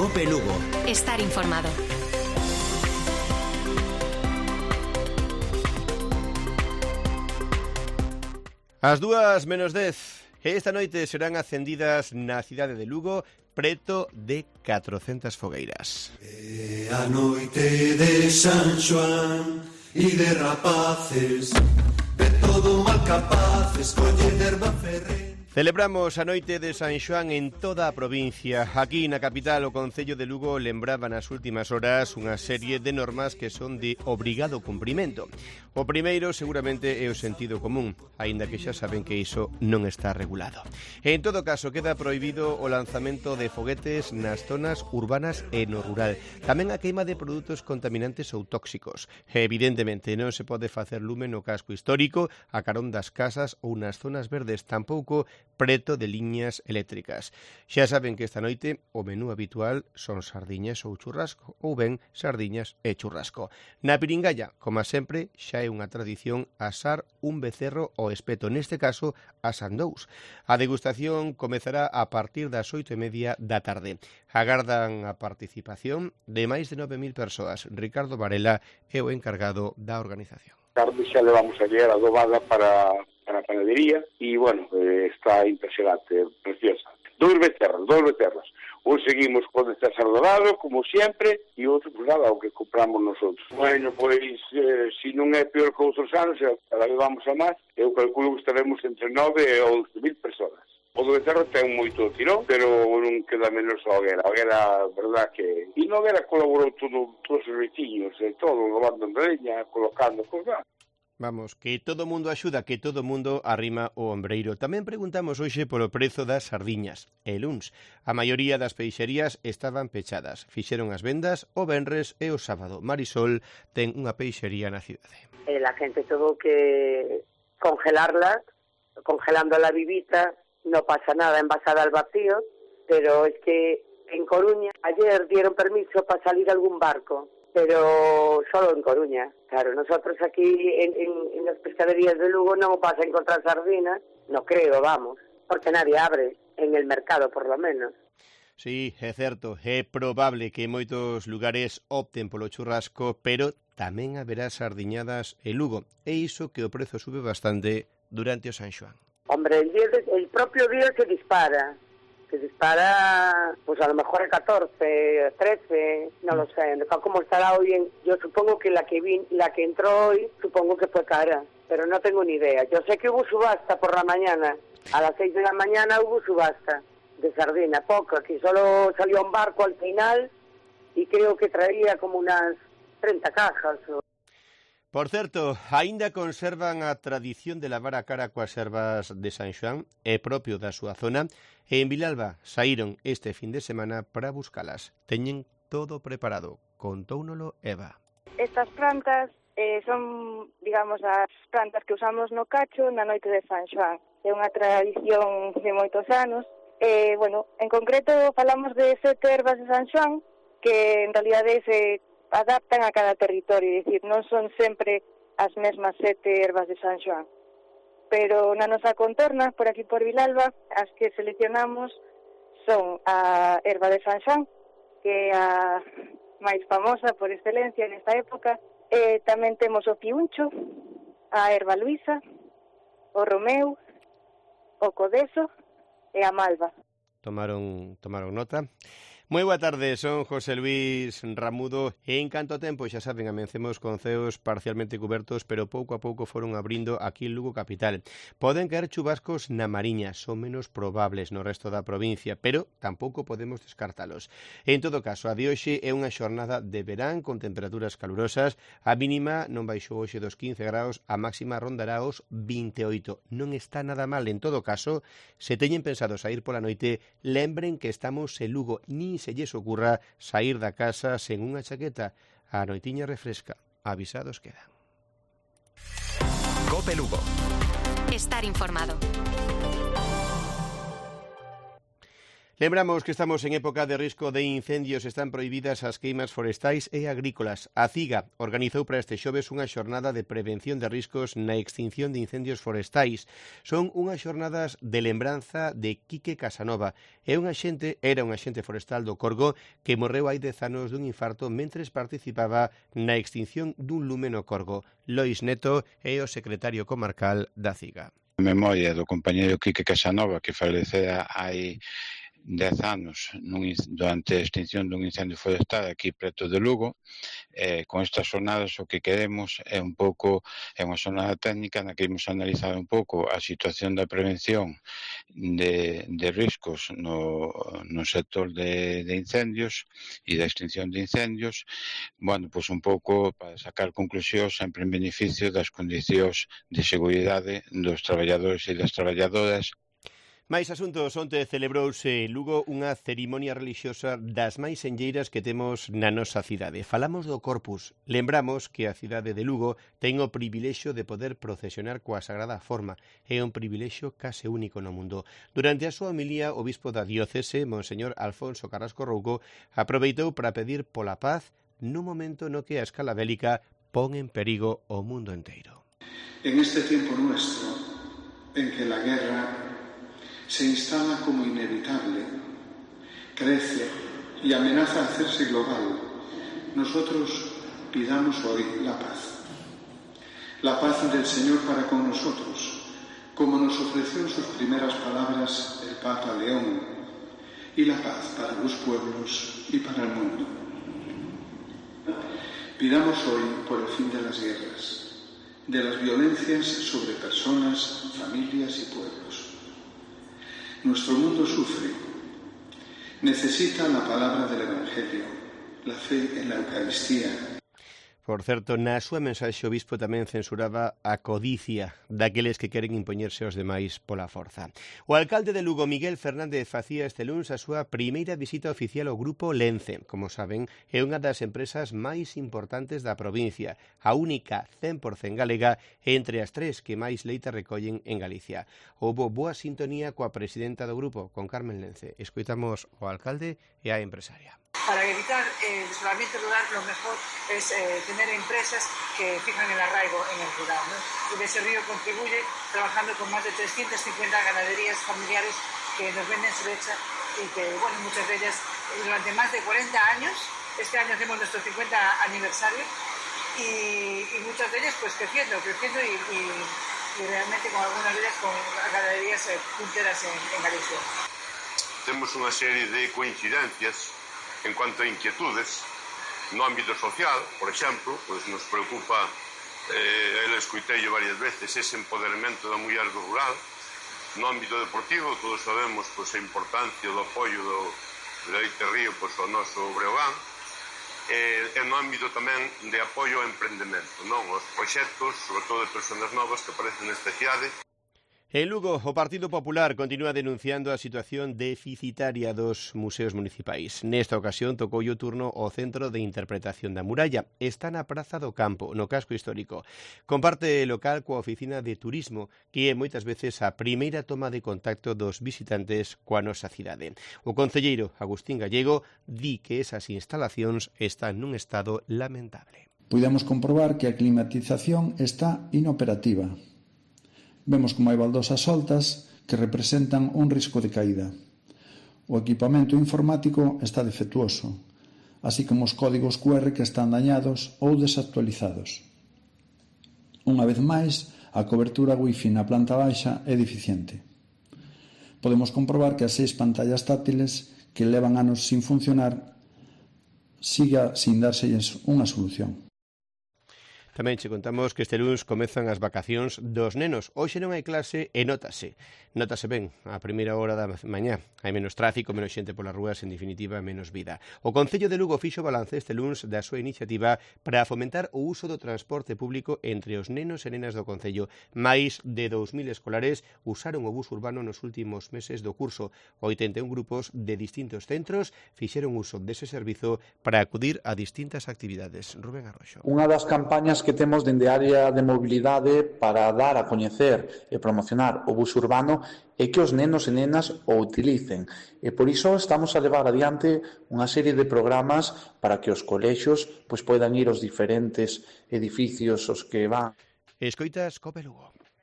Cope Lugo. Estar informado. As 2:10. Esta noite serán acendidas na cidade de Lugo preto de 400 fogueiras. A noite de San Xoán e de rapaces, de todo mal capaces, colle derba ferre. Celebramos a noite de San Xoán en toda a provincia. Aquí na capital, o concello de Lugo lembraba nas últimas horas unha serie de normas que son de obrigado cumprimento. O primeiro seguramente é o sentido común, aínda que xa saben que iso non está regulado. En todo caso, queda prohibido o lanzamento de foguetes nas zonas urbanas e no rural. Tamén a queima de produtos contaminantes ou tóxicos. Evidentemente, non se pode facer lume no casco histórico, a carón das casas ou nas zonas verdes, tampouco preto de liñas eléctricas. Xa saben que esta noite o menú habitual son sardiñas ou churrasco, ou ben sardiñas e churrasco. Na Piringalla, como sempre, xa é unha tradición asar un becerro ao espeto, neste caso asan dous. A degustación comezará a partir das 8:30 da tarde. Agardan a participación de máis de 9.000 persoas. Ricardo Varela é o encargado da organización. Tarde xa levamos ayer adobada para a panadería e, bueno, está impresionante, preciosa. Dous becerros. Un seguimos con este sardorado, como sempre, e outro, pues nada, o que compramos nosotros. Bueno, pois, se non é peor que outros anos, cada vez vamos a máis, eu calculo que estaremos entre 9 e 11.000 persoas. O do becerro ten moito tirón, pero non queda menos a hoguera. A hoguera, verdad que... E na hoguera colaborou todos os veciños, todo, lavando en leña, colocando cosas. Vamos, que todo mundo axuda, que todo mundo arrima o ombreiro. Tamén preguntamos hoxe polo prezo das sardiñas. E luns, a maioría das peixerías estaban pechadas. Fixeron as vendas o venres e o sábado. Marisol ten unha peixería na cidade. La gente tuvo que congelarlas, congelando la vivita, no pasa nada, envasada al vacío, pero es que en Coruña ayer dieron permiso para salir algún barco, pero solo en Coruña. Claro, nosotros aquí en las pescaderías de Lugo non vas a encontrar sardinas, no creo, vamos, porque nadie abre en el mercado, por lo menos. Sí, é certo, é probable que moitos lugares opten polo churrasco, pero tamén haberá sardiñadas en Lugo, e iso que o prezo sube bastante durante o San Xoán. Hombre, el propio día se dispara, pues a lo mejor a 14, 13, no lo sé, cómo estará hoy. Yo supongo que la que entró hoy, supongo que fue cara, pero no tengo ni idea. Yo sé que hubo subasta por la mañana, a las 6 de la mañana hubo subasta de sardina, poco, aquí solo salió un barco al final y creo que traía como unas 30 cajas. Por certo, aínda conservan a tradición de lavar a cara coas ervas de San Xoán, é propio da súa zona, e en Vilalba saíron este fin de semana para buscalas. Teñen todo preparado, contóunolo Eva. Estas plantas son, digamos, as plantas que usamos no cacho na noite de San Xoán. É unha tradición de moitos anos. Bueno, en concreto falamos de 7 ervas de San Xoán, que en realidade se adaptan a cada territorio, é dicir, non son sempre as mesmas 7 ervas de San Xoán. Pero na nosa contorna, por aquí por Vilalba, as que seleccionamos son a erva de San Xoán, que é a máis famosa por excelencia nesta época. Tamén temos o piuncho, a erva luisa, o romeu, o codeso e a malva. Tomaron nota. Moi boa tarde, son José Luis Ramudo e en canto a tempo, xa saben, amencemos con ceos parcialmente cubertos, pero pouco a pouco foron abrindo aquí en Lugo capital. Poden caer chubascos na Mariña, son menos probables no resto da provincia, pero tampouco podemos descartalos. En todo caso, a de hoxe é unha xornada de verán con temperaturas calurosas, a mínima non baixou hoxe dos 15 graus, a máxima rondará os 28. Non está nada mal, en todo caso, se teñen pensado sair pola noite, lembren que estamos en Lugo, nin se lles ocurra sair da casa sen unha chaqueta. A noitiña refresca. Avisados quedan. Cope Lugo. Estar informado. Lembramos que estamos en época de risco de incendios, están prohibidas as queimas forestais e agrícolas. A CIGA organizou para este xoves unha xornada de prevención de riscos na extinción de incendios forestais. Son unhas xornadas de lembranza de Quique Casanova. Era un axente forestal do Corgo que morreu hai 10 anos dun infarto mentres participaba na extinción dun lume no Corgo. Lois Neto é o secretario comarcal da CIGA. A memoria do compañeiro Quique Casanova, que falecera hai 10 anos durante a extinción dun incendio forestal aquí preto de Lugo. Con estas xornadas o que queremos é unha xornada técnica na que imos analizar un pouco a situación da prevención de riscos no sector de incendios e da extinción de incendios, pois un pouco para sacar conclusións sempre en beneficio das condicións de seguridade dos traballadores e das traballadoras. Mais asuntos, onte celebrouse en Lugo unha cerimonia relixiosa das máis senlleiras que temos na nosa cidade. Falamos do Corpus. Lembramos que a cidade de Lugo ten o privilexio de poder procesionar coa Sagrada Forma. É un privilexio case único no mundo. Durante a súa homilía, o bispo da diócese, Monseñor Alfonso Carrasco Rouco, aproveitou para pedir pola paz nun momento no que a escala bélica pon en perigo o mundo enteiro. En este tiempo nuestro, en que la guerra se instala como inevitable, crece y amenaza a hacerse global, nosotros pidamos hoy la paz. La paz del Señor para con nosotros, como nos ofreció en sus primeras palabras el Papa León, y la paz para los pueblos y para el mundo. Pidamos hoy por el fin de las guerras, de las violencias sobre personas, familias y pueblos. Nuestro mundo sufre, necesita la palabra del Evangelio, la fe en la Eucaristía. Por certo, na súa mensaxe o bispo tamén censuraba a codicia daqueles que queren impoñerse aos demais pola forza. O alcalde de Lugo, Miguel Fernández, facía este luns a súa primeira visita oficial ao grupo Lence. Como saben, é unha das empresas máis importantes da provincia, a única 100% galega entre as tres que máis leite recollen en Galicia. Houbo boa sintonía coa presidenta do grupo, con Carmen Lence. Escoitamos o alcalde e a empresaria. Para evitar el desolamiento rural, lo mejor es tener empresas que fijan el arraigo en el rural, ¿no? Y de ese río contribuye trabajando con más de 350 ganaderías familiares que nos venden su leche y que, bueno, muchas de ellas durante más de 40 años, este año hacemos nuestro 50 aniversario y muchas de ellas pues creciendo y realmente con algunas de ellas con ganaderías punteras en Galicia. Temos unha serie de coincidencias en cuanto a inquietudes no ámbito social, por exemplo, pois nos preocupa, ele escoitei varias veces, ese empoderamento da muller do rural. No ámbito deportivo, todos sabemos pois, a importancia do apoio do Leite Río pois, ao noso Breogán, e no ámbito tamén de apoio ao emprendemento, non? Os proxectos, sobre todo de persoas novas que aparecen nesta cidade. En Lugo, o Partido Popular continúa denunciando a situación deficitaria dos museos municipais. Nesta ocasión tocou o turno ao Centro de Interpretación da Muralla. Está na Praza do Campo, no casco histórico. Comparte local coa Oficina de Turismo, que é moitas veces a primeira toma de contacto dos visitantes coa nosa cidade. O concelleiro Agustín Gallego di que esas instalacións están nun estado lamentable. Puidemos comprobar que a climatización está inoperativa. Vemos como hai baldosas soltas que representan un risco de caída. O equipamento informático está defectuoso, así como os códigos QR que están dañados ou desactualizados. Unha vez máis, a cobertura Wi-Fi na planta baixa é deficiente. Podemos comprobar que as 6 pantallas táctiles que levan anos sin funcionar siga sin dárselles unha solución. Tamén che contamos que este luns comezan as vacacións dos nenos. Hoxe non hai clase e notase ben a primeira hora da mañá. Hai menos tráfico, menos xente polas rúas, en definitiva, menos vida. O Concello de Lugo fixo balance este luns da súa iniciativa para fomentar o uso do transporte público entre os nenos e nenas do Concello. Máis de 2.000 escolares usaron o bus urbano nos últimos meses do curso. 81 grupos de distintos centros fixeron uso dese servizo para acudir a distintas actividades. Rubén Arroxo. Unha das campañas que temos dende a área de mobilidade para dar a coñecer e promocionar o bus urbano e que os nenos e nenas o utilicen. E por iso estamos a levar adiante unha serie de programas para que os colexios pois poidan ir aos diferentes edificios os que van. Escoitas Cope Lugo.